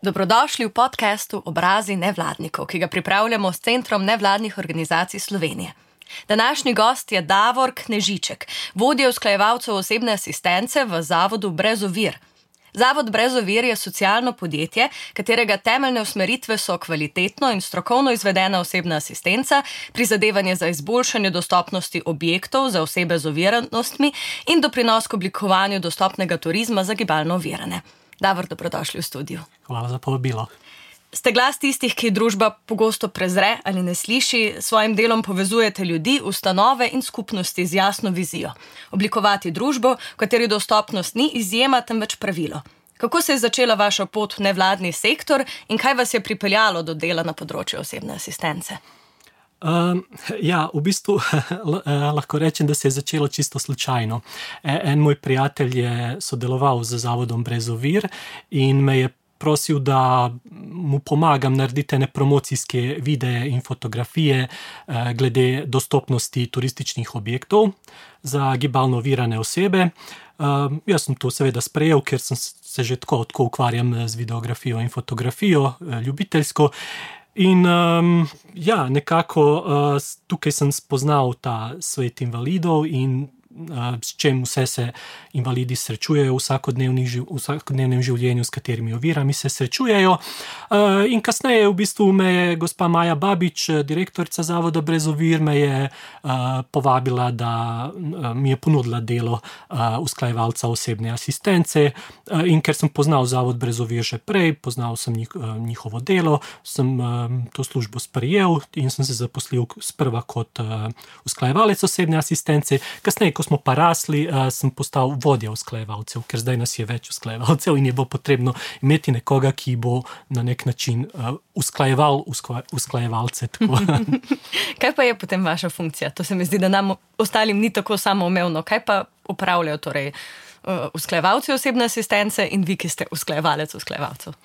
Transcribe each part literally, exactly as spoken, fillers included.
Dobrodošli v podcastu Obrazi nevladnikov, ki ga pripravljamo s Centrom nevladnih organizacij Slovenije. Današnji gost je Davor Knežiček, vodja usklajevalcev osebne asistence v Zavodu Brez ovir. Zavod Brez ovir je socialno podjetje, katerega temeljne usmeritve so kvalitetno in strokovno izvedena osebna asistenca, prizadevanje za izboljšanje dostopnosti objektov za osebe z oviranostmi in doprinos k oblikovanju dostopnega turizma za gibalno ovirane. Davor, dobrodošli v studiu. Hvala za povabilo. Ste glas tistih, ki družba pogosto prezre ali ne sliši, s svojim delom povezujete ljudi, ustanove in skupnosti z jasno vizijo. Oblikovati družbo, v kateri dostopnost ni izjema, temveč pravilo. Kako se je začela vaša pot v nevladni sektor in kaj vas je pripeljalo do dela na področju osebne asistence? Um, ja, v bistvu lahko rečem, da se je začelo čisto slučajno. En moj prijatelj je sodeloval z Zavodom Brez ovir in me je prosil, da mu pomagam narediti ene promocijske videe in fotografije glede dostopnosti turističnih objektov za gibalno ovirane osebe. Um, jaz sem to seveda sprejel, ker sem se že tako, tako ukvarjam z videografijo in fotografijo, ljubiteljsko. In um, ja, nekako uh, tukaj sem spoznal ta svet invalidov in uh, s čem vse se invalidi srečujejo v vsakodnevnem življenju, s katerimi ovirami se srečujejo. Uh, in kasneje v bistvu me je gospa Maja Babič, direktorica Zavoda Brez ovir, me je uh, povabila, da uh, mi je ponudila delo uh, usklajevalca osebne asistence. Uh, in ker sem poznal Zavod Brez ovir že prej, poznal sem njih, uh, njihovo delo, sem um, to službo sprejel in sem se zaposlil sprva kot uh, usklajevalec osebne asistence. Kasneje, ko smo pa rasli, uh, sem postal vodja usklajevalcev, ker zdaj nas je več usklajevalcev in je bo potrebno imeti nekoga, ki bo na nek način uh, usklajeval usklajevalce. Kaj pa je potem vaša funkcija? To se mi zdi, da nam ostalim ni tako samoumevno. Kaj pa upravljajo torej uh, usklajevalci osebne asistence in vi, ki ste usklajevalec usklajevalcev?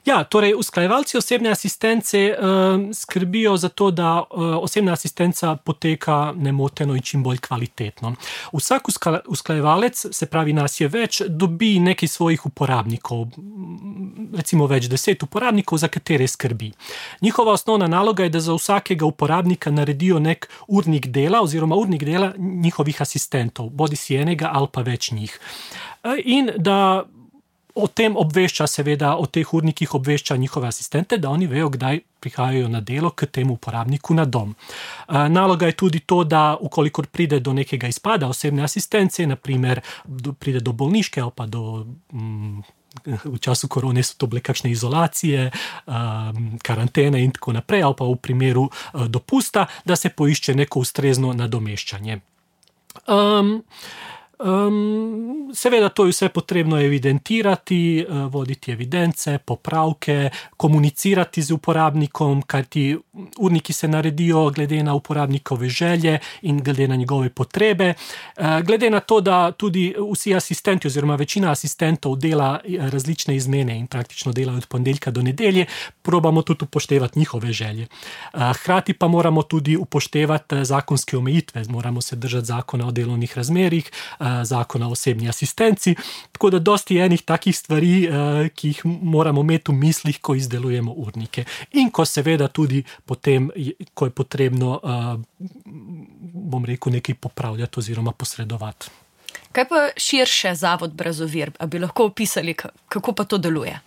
Ja, torej usklajevalci osebne asistence uh, skrbijo za to, da uh, osebna asistenca poteka nemoteno in čim bolj kvalitetno. Vsak uskla, usklajevalec, se pravi nas je več, dobi nekaj svojih uporabnikov, recimo več deset uporabnikov, za katere skrbi. Njihova osnovna naloga je, da za vsakega uporabnika naredijo nek urnik dela oziroma urnik dela njihovih asistentov, bodi si enega ali pa več njih. Uh, in da o tem obvešča, seveda, o teh urnikih obvešča njihove asistente, da oni vejo, kdaj prihajajo na delo k temu uporabniku na dom. Naloga je tudi to, da ukolikor pride do nekega izpada osebne asistence, naprimer pride do bolniške ali pa do mm, v času korone so to bile kakšne izolacije, um, karantene in tako naprej, ali pa v primeru uh, dopusta, da se poišče neko ustrezno nadomeščanje. Um, Um, seveda to je vse potrebno evidentirati, uh, voditi evidence, popravke, komunicirati z uporabnikom, kajti urniki se naredijo glede na uporabnikove želje in glede na njegove potrebe. Uh, glede na to, da tudi vsi asistenti oziroma večina asistentov dela različne izmene in praktično delajo od ponedeljka do nedelje, probamo tudi upoštevati njihove želje. Uh, hkrati pa moramo tudi upoštevati zakonske omejitve, moramo se držati zakona o delovnih razmerjih, zakona o osebni asistenci, tako da dosti enih takih stvari, ki jih moramo imeti v mislih, ko izdelujemo urnike. In ko seveda tudi potem, ko je potrebno, bom rekel, nekaj popravljati oziroma posredovati. Kaj pa širše Zavod Brez ovir? A bi lahko opisali, kako pa to deluje?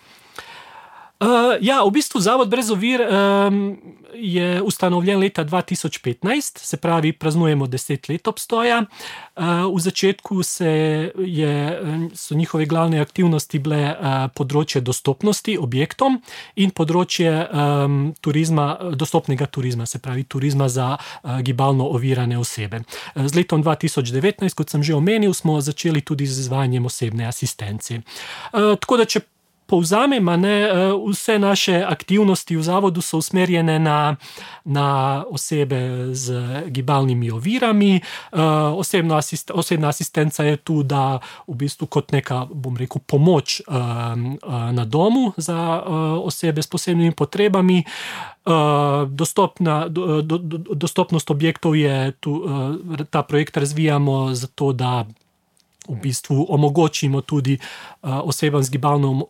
Uh, ja, v bistvu Zavod Brez ovir um, je ustanovljen leta dva tisoč petnajst, se pravi, praznujemo deset let obstoja. Uh, v začetku se je, so njihove glavne aktivnosti bile uh, področje dostopnosti objektom in področje um, turizma, dostopnega turizma, se pravi turizma za uh, gibalno ovirane osebe. Uh, z letom dva tisoč devetnajst, kot sem že omenil, smo začeli tudi z izvajanjem osebne asistence. Uh, tako da, če povzamem, ne, vse naše aktivnosti v zavodu so usmerjene na, na osebe z gibalnimi ovirami. Osebna, asist, osebna asistenca je tu, da v bistvu kot neka, bom rekel, pomoč na domu za osebe s posebnimi potrebami. Dostopna, do, do, dostopnost objektov je tu, ta projekt razvijamo zato, da v bistvu omogočimo tudi uh, osebam z, gibalnom,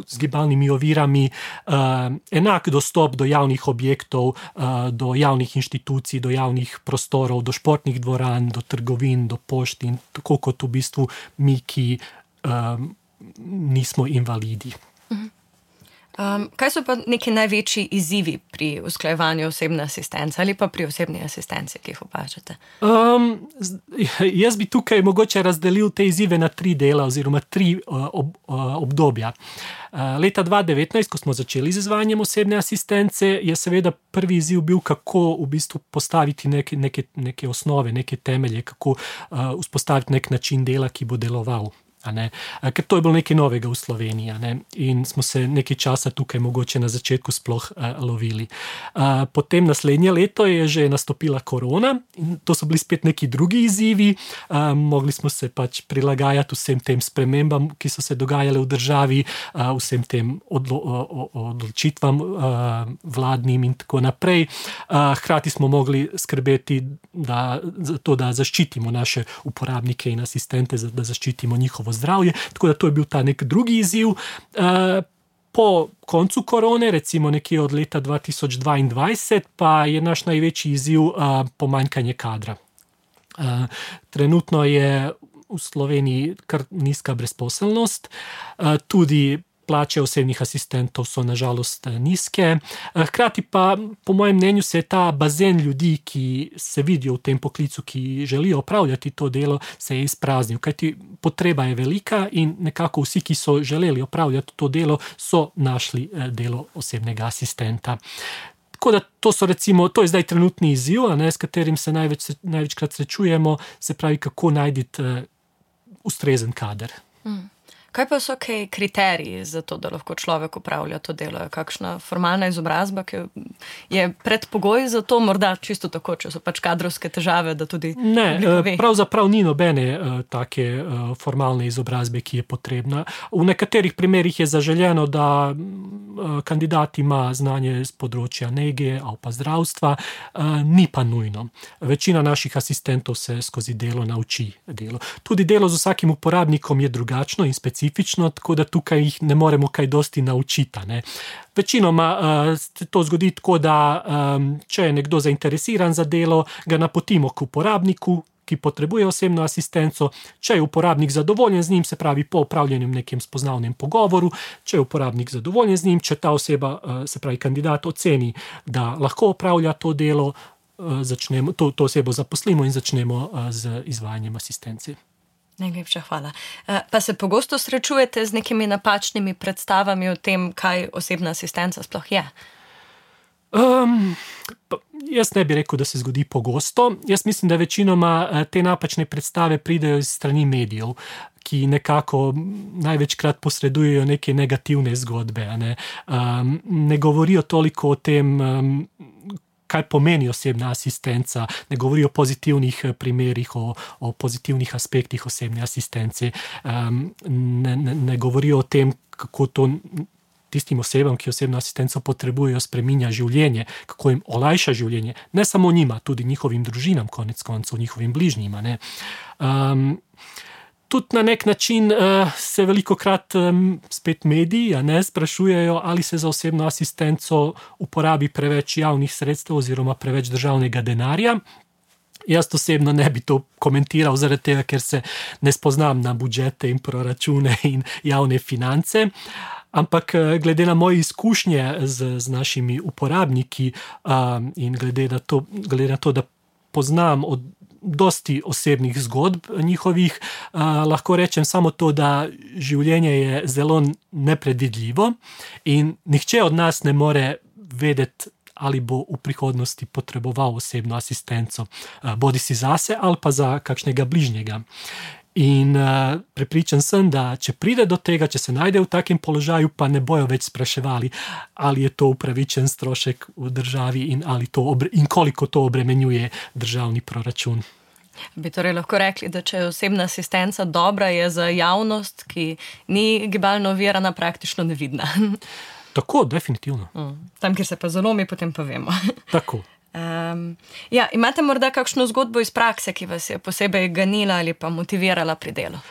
z gibalnimi ovirami uh, enak dostop do javnih objektov, uh, do javnih inštitucij, do javnih prostorov, do športnih dvoran, do trgovin, do pošt in tako kot v bistvu mi, ki um, nismo invalidi. Um, kaj so pa neki največji izzivi pri usklajevanju osebne asistence ali pa pri osebni asistenci, ki jih opažate? Um, jaz bi tukaj mogoče razdelil te izzive na tri dela oziroma tri uh, ob, uh, obdobja. Uh, leta dva tisoč devetnajst, ko smo začeli z izvajanjem osebne asistence, je seveda prvi izziv bil, kako v bistvu postaviti neke, neke, neke osnove, neke temelje, kako uh, vzpostaviti nek način dela, ki bo deloval. Ker to je bilo nekaj novega v Sloveniji, ne? In smo se nekaj časa tukaj mogoče na začetku sploh uh, lovili. Uh, potem naslednje leto je že nastopila korona in to so bili spet neki drugi izzivi. Uh, mogli smo se pač prilagajati vsem tem spremembam, ki so se dogajale v državi, uh, vsem tem odlo- odločitvam uh, vladnim in tako naprej. Uh, hkrati smo mogli skrbeti da, za to, da zaščitimo naše uporabnike in asistente, da zaščitimo njihovo zdravje, tako da to je bil ta nek drugi izziv. Po koncu korone, recimo nekje od leta dva tisoč dvaindvajset, pa je naš največji izziv pomanjkanje kadra. Trenutno je v Sloveniji kar nizka brezposelnost, tudi plače osebnih asistentov so nažalost nizke. Hkrati pa, po mojem mnenju, se je ta bazen ljudi, ki se vidijo v tem poklicu, ki želijo opravljati to delo, se je izpraznil. Kajti potreba je velika in nekako vsi, ki so želeli opravljati to delo, so našli delo osebnega asistenta. Tako da to so recimo, to je zdaj trenutni izziv, a ne, s katerim se največ, največkrat srečujemo, se pravi, kako najti uh, ustrezen kader. Mm. Kaj pa so kaj kriteriji za to, da lahko človek upravlja to delo? Kakšna formalna izobrazba, ki je predpogoj za to, morda čisto tako, če so pač kadrovske težave, da tudi ne, pravzaprav ni nobene uh, take uh, formalne izobrazbe, ki je potrebna. V nekaterih primerih je zaželjeno, da uh, kandidat ima znanje z področja nege ali pa zdravstva, uh, ni pa nujno. Večina naših asistentov se skozi delo nauči delo. Tudi delo z vsakim uporabnikom je drugačno in specifično, tako da tukaj jih ne moremo kaj dosti naučiti. Ne. Večinoma uh, se to zgodi tako, da um, če je nekdo zainteresiran za delo, ga napotimo k uporabniku, ki potrebuje osebno asistenco. Če je uporabnik zadovoljen z njim, se pravi po opravljenem nekem spoznavnem pogovoru, če je uporabnik zadovoljen z njim, če ta oseba, uh, se pravi kandidat, oceni, da lahko opravlja to delo, uh, začnemo, to, to osebo zaposlimo in začnemo uh, z izvajanjem asistence. Najlepša hvala. Pa se pogosto srečujete z nekimi napačnimi predstavami o tem, kaj osebna asistenca sploh je? Um, jaz ne bi rekel, da se zgodi pogosto. Jaz mislim, da večinoma te napačne predstave pridejo iz strani medijev, ki nekako največkrat posredujejo neke negativne zgodbe. Ne, um, ne govorijo toliko o tem, um, kaj pomeni osebna asistenca, ne govori o pozitivnih primerih, o, o pozitivnih aspektih osebne asistence, um, ne, ne, ne govori o tem, kako to tistim osebam, ki osebno asistenco potrebujejo, spreminja življenje, kako jim olajša življenje, ne samo njima, tudi njihovim družinam, konec koncev, njihovim bližnjima. Ne. Um, Tudi na nek način uh, se velikokrat um, spet mediji ne, sprašujejo, ali se za osebno asistenco uporabi preveč javnih sredstev oziroma preveč državnega denarja. Jaz osebno ne bi to komentiral zaradi tega, ker se ne spoznam na budžete in proračune in javne finance. Ampak glede na moje izkušnje z, z našimi uporabniki um, in glede na to, glede na to, da poznam od dosti osebnih zgodb njihovih, uh, lahko rečem samo to, da življenje je zelo nepredvidljivo in nihče od nas ne more vedeti, ali bo v prihodnosti potreboval osebno asistenco, uh, bodi si zase ali pa za kakšnega bližnjega. In uh, prepričan sem, da če pride do tega, če se najde v takem položaju, pa ne bojo več spraševali, ali je to upravičen strošek v državi in, ali to obre, in koliko to obremenjuje državni proračun. Bi torej lahko rekli, da če je osebna asistenca dobra, je za javnost, ki ni gibalno ovirana, praktično nevidna. Tako, definitivno. Mm. Tam, kjer se pa zalomi, potem pa vemo. Tako. Um, ja, imate morda kakšno zgodbo iz prakse, ki vas je posebej ganila ali pa motivirala pri delu?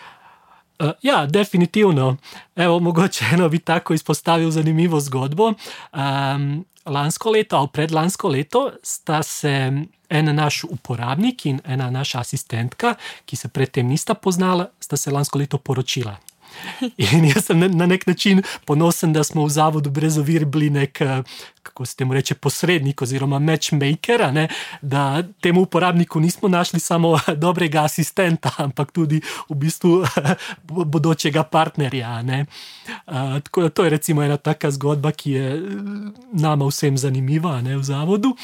Uh, ja, definitivno. Evo, mogoče eno bi tako izpostavil zanimivo zgodbo. Um, lansko leto, ali predlansko leto, sta se en naš uporabnik in ena naša asistentka, ki se predtem nista poznala, sta se lansko leto poročila. In jaz sem na nek način ponosen, da smo v Zavodu Brez ovir bili nek, kako se temu reče, posrednik oziroma matchmaker, ne? Da temu uporabniku nismo našli samo dobrega asistenta, ampak tudi v bistvu bodočega partnerja. Ne? Uh, tako da to je recimo ena taka zgodba, ki je nama vsem zanimiva, ne, v Zavodu.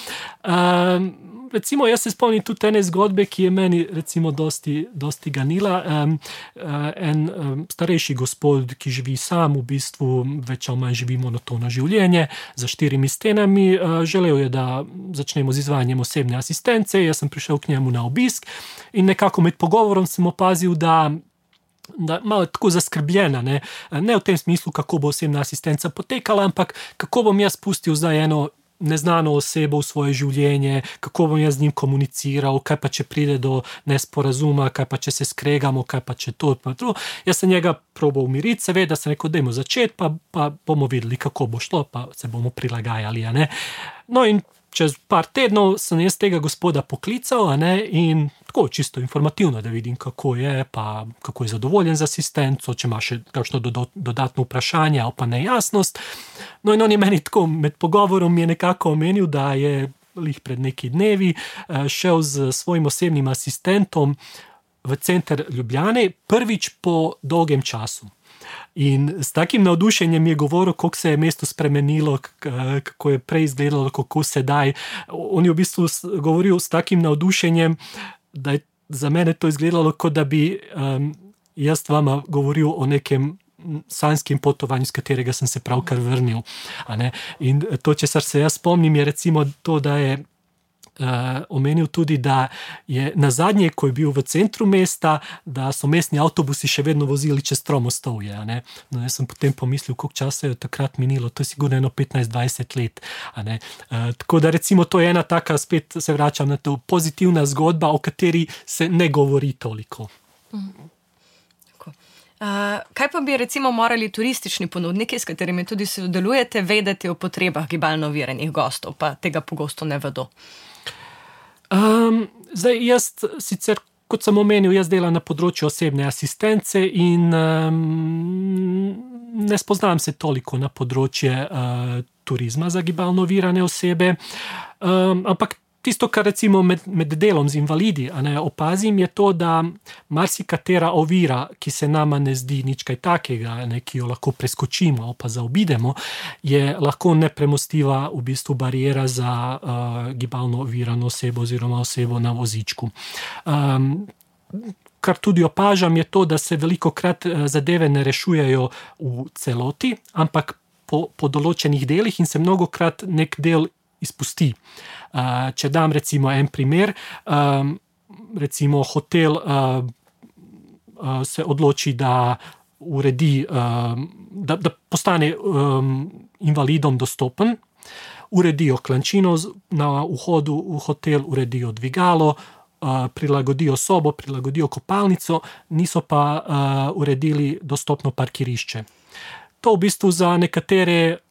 Uh, Recimo, jaz se spomnim tudi ene zgodbe, ki je meni recimo dosti, dosti ganila. Um, uh, en um, starejši gospod, ki živi sam, v bistvu več ali manj živi monotono življenje za štirimi stenami, uh, želel je, da začnemo z izvajanjem osebne asistence. Jaz sem prišel k njemu na obisk in nekako med pogovorom sem opazil, da da malo tako zaskrbljena, ne? Ne v tem smislu, kako bo osebna asistenca potekala, ampak kako bom jaz pustil zdaj eno neznano osebo v svoje življenje, kako bom jaz z njim komuniciral, kaj pa če pride do nesporazuma, kaj pa če se skregamo, kaj pa če to, pa to. Jaz sem njega probal umiriti, seveda sem rekel, dajmo začeti, pa, pa bomo videli, kako bo šlo, pa se bomo prilagajali, a ne. No in čez par tednov sem jaz tega gospoda poklical, a ne, in tako čisto informativno, da vidim, kako je, pa kako je zadovoljen z asistenco, če ima še kakšno dodatno vprašanje ali pa nejasnost. No in on je meni tako med pogovorom je nekako omenil, da je lih pred neki dnevi šel z svojim osebnim asistentom v center Ljubljane prvič po dolgem času. In s takim navdušenjem je govoril, kako se je mesto spremenilo, kako je prej izgledalo, kako sedaj. On je v bistvu govoril s takim navdušenjem, da je za mene to izgledalo, kot da bi um, jaz vama govoril o nekem sanjskem potovanju, z katerega sem se pravkar vrnil. A ne? In to, česar se jaz spomnim, je recimo to, da je Uh, omenil tudi, da je nazadnje, ko je bil v centru mesta, da so mestni avtobusi še vedno vozili čez Tromostovje. Ne? No, jaz sem potem pomislil, koliko časa je takrat minilo, to je sigurno eno petnajst dvajset let. A ne? Uh, tako da recimo to je ena taka, spet se vračam na to, pozitivna zgodba, o kateri se ne govori toliko. Mm. Uh, kaj pa bi recimo morali turistični ponudniki, s katerimi tudi sodelujete, vedeti o potrebah gibalno oviranih gostov, pa tega pogosto ne vedo? Um, zdaj, jaz sicer, kot sem omenil, jaz delam na področju osebne asistence in um, ne spoznam se toliko na področje uh, turizma za gibalno ovirane osebe, um, ampak tisto, kar recimo med, med delom z invalidi, a ne, opazim, je to, da marsikatera ovira, ki se nama ne zdi nič kaj takega, ne, ki jo lahko preskočimo ali pa zaobidemo, je lahko nepremostljiva v bistvu bariera za uh, gibalno ovirano osebo oziroma osebo na vozičku. Um, kar tudi opažam, je to, da se velikokrat zadeve ne rešujejo v celoti, ampak po, po določenih delih in se mnogokrat nek del izpusti. Uh, če dam recimo en primer, um, recimo hotel uh, uh, se odloči, da uredi, uh, da, da postane um, invalidom dostopen, uredijo klančino na vhodu v hotel, uredijo dvigalo, uh, prilagodijo sobo, prilagodijo kopalnico, niso pa uh, uredili dostopno parkirišče. To v bistvu za nekatere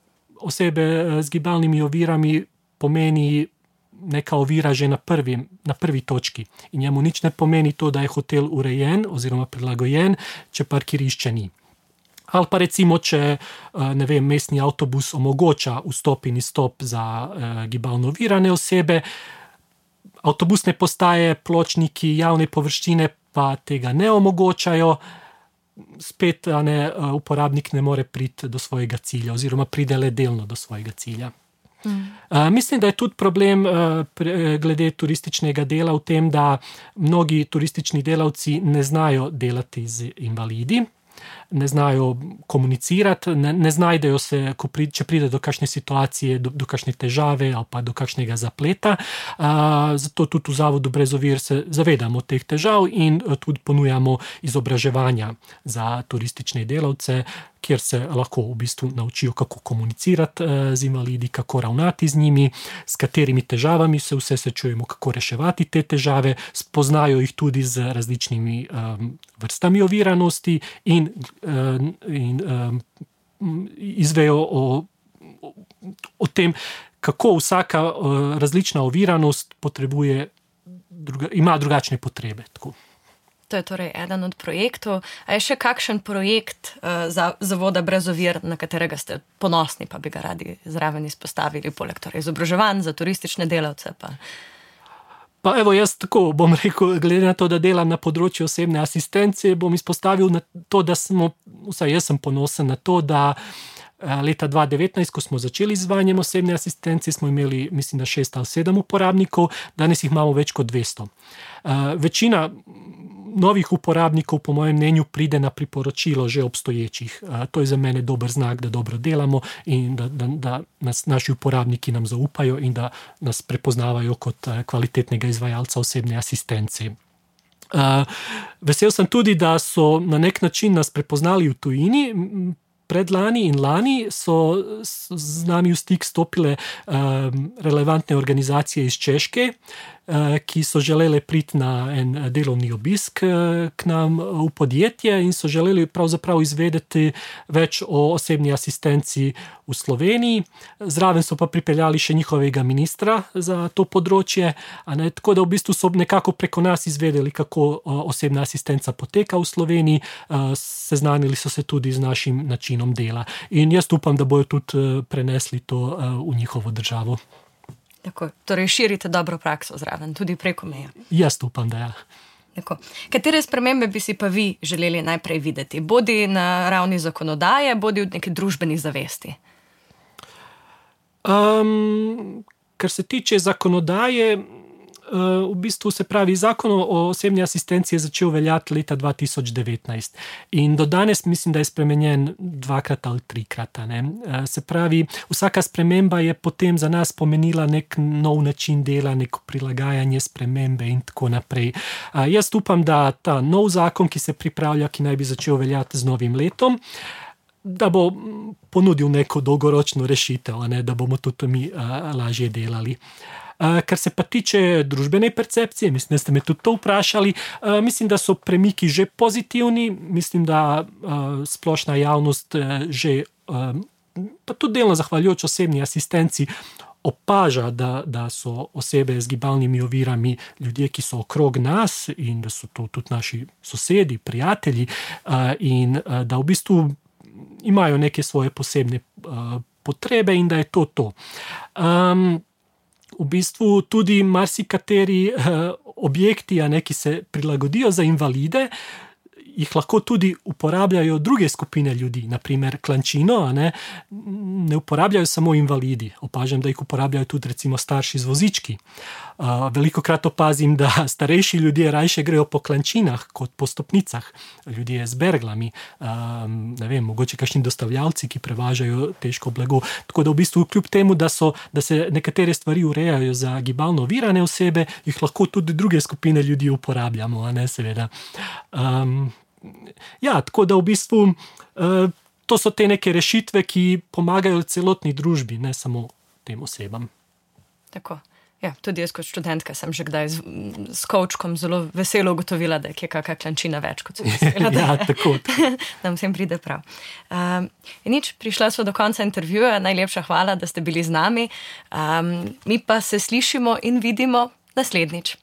osebe z gibalnimi ovirami pomeni neka ovira že na prvi, na prvi točki. In njemu nič ne pomeni to, da je hotel urejen oziroma prilagojen, če parkirišče ni. Ali pa recimo, če ne vem, mestni avtobus omogoča vstop in izstop za eh, gibalno ovirane osebe, avtobusne postaje, pločniki, javne površine pa tega ne omogočajo, spet a ne, uporabnik ne more priti do svojega cilja oziroma pride le delno do svojega cilja. Mm. Uh, mislim, da je tudi problem uh, pre, glede turističnega dela v tem, da mnogi turistični delavci ne znajo delati z invalidi. ne znajo komunicirati, ne, ne znajdejo se, ko pri, če pride do kakšne situacije, do, do kakšne težave ali pa do kakšnega zapleta. Uh, zato tudi v Zavodu Brez ovir se zavedamo teh težav in tudi ponujamo izobraževanja za turistične delavce, kjer se lahko v bistvu naučijo, kako komunicirati z invalidi, kako ravnati z njimi, s katerimi težavami se vse srečujemo, kako reševati te težave, spoznajo jih tudi z različnimi um, vrstami oviranosti in, um, in um, izvejo o, o tem, kako vsaka uh, različna oviranost potrebuje, druga, ima drugačne potrebe. Tako. To je torej eden od projektov. A je še kakšen projekt uh, za Zavoda Brez ovir, na katerega ste ponosni, pa bi ga radi zraven izpostavili, poleg torej izobraževanj za turistične delavce? Pa... Pa evo, jaz tako bom rekel, glede na to, da delam na področju osebne asistence, bom izpostavil na to, da smo, vsaj jaz sem ponosen na to, da leta dva tisoč devetnajst, ko smo začeli z izvajanjem osebne asistence, smo imeli, mislim, da šest ali sedem uporabnikov, danes jih imamo več kot dvesto. Uh, večina novih uporabnikov, po mojem mnenju, pride na priporočilo že obstoječih. Uh, to je za mene dober znak, da dobro delamo in da, da, da nas naši uporabniki nam zaupajo in da nas prepoznavajo kot kvalitetnega izvajalca osebne asistence. Uh, vesel sem tudi, da so na nek način nas prepoznali v tujini. Predlani in lani so z nami v stik stopile um, relevantne organizacije iz Češke, uh, ki so želele priti na en delovni obisk uh, k nam v podjetje in so želeli pravzaprav izvedeti več o osebni asistenci v Sloveniji. Zraven so pa pripeljali še njihovega ministra za to področje, a ne, tako da v bistvu so nekako preko nas izvedeli, kako uh, osebna asistenca poteka v Sloveniji, uh, seznanili so se tudi z našim načinom dela. In jaz upam, da bojo tudi prenesli to v njihovo državo. Tako, torej širite dobro prakso zraven, tudi preko meja. Jaz upam, da ja. Tako. Katere spremembe bi si pa vi želeli najprej videti? Bodi na ravni zakonodaje, bodi v neki družbeni zavesti? Um, kar se tiče zakonodaje, v bistvu se pravi, zakon o osebni asistenci je začel veljati leta dva tisoč devetnajst in do danes mislim, da je spremenjen dvakrat ali trikrat. Ne? Se pravi, vsaka sprememba je potem za nas pomenila nek nov način dela, neko prilagajanje spremembe in tako naprej. Jaz upam, da ta nov zakon, ki se pripravlja, ki naj bi začel veljati z novim letom, da bo ponudil neko dolgoročno rešitev, ne? Da bomo tudi mi a, lažje delali. Uh, kar se pa tiče družbene percepcije, mislim, da ste me tudi to vprašali, uh, mislim, da so premiki že pozitivni, mislim, da uh, splošna javnost uh, že, uh, pa tudi delno zahvaljujoč osebni asistenci, opaža, da, da so osebe z gibalnimi ovirami ljudje, ki so okrog nas in da so to tudi naši sosedi, prijatelji uh, in uh, da v bistvu imajo neke svoje posebne uh, potrebe in da je to to. Um, V bistvu tudi marsikateri uh, objekti, a ne, ki se prilagodijo za invalide, jih lahko tudi uporabljajo druge skupine ljudi, naprimer klančino, a ne, ne uporabljajo samo invalidi. Opažam, da jih uporabljajo tudi recimo starši z vozički. Uh, velikokrat opazim, da starejši ljudje rajše grejo po klančinah kot po stopnicah. Ljudje z berglami, um, ne vem, mogoče kakšni dostavljalci, ki prevažajo težko blago. Tako da v bistvu kljub temu, da, so, da se nekatere stvari urejajo za gibalno ovirane osebe, jih lahko tudi druge skupine ljudi uporabljamo, a ne, seveda. Um, ja, tako da v bistvu uh, to so te neke rešitve, ki pomagajo celotni družbi, ne samo tem osebam. Tako. Ja, tudi jaz kot študentka sem že kdaj z, s kovčkom zelo veselo ugotovila, da je kje kakšna klančina več, kot sem mislila. Ja, tako. Da vsem pride prav. Um, in nič, prišla sva do konca intervjuja, najlepša hvala, da ste bili z nami. Um, mi pa se slišimo in vidimo naslednjič.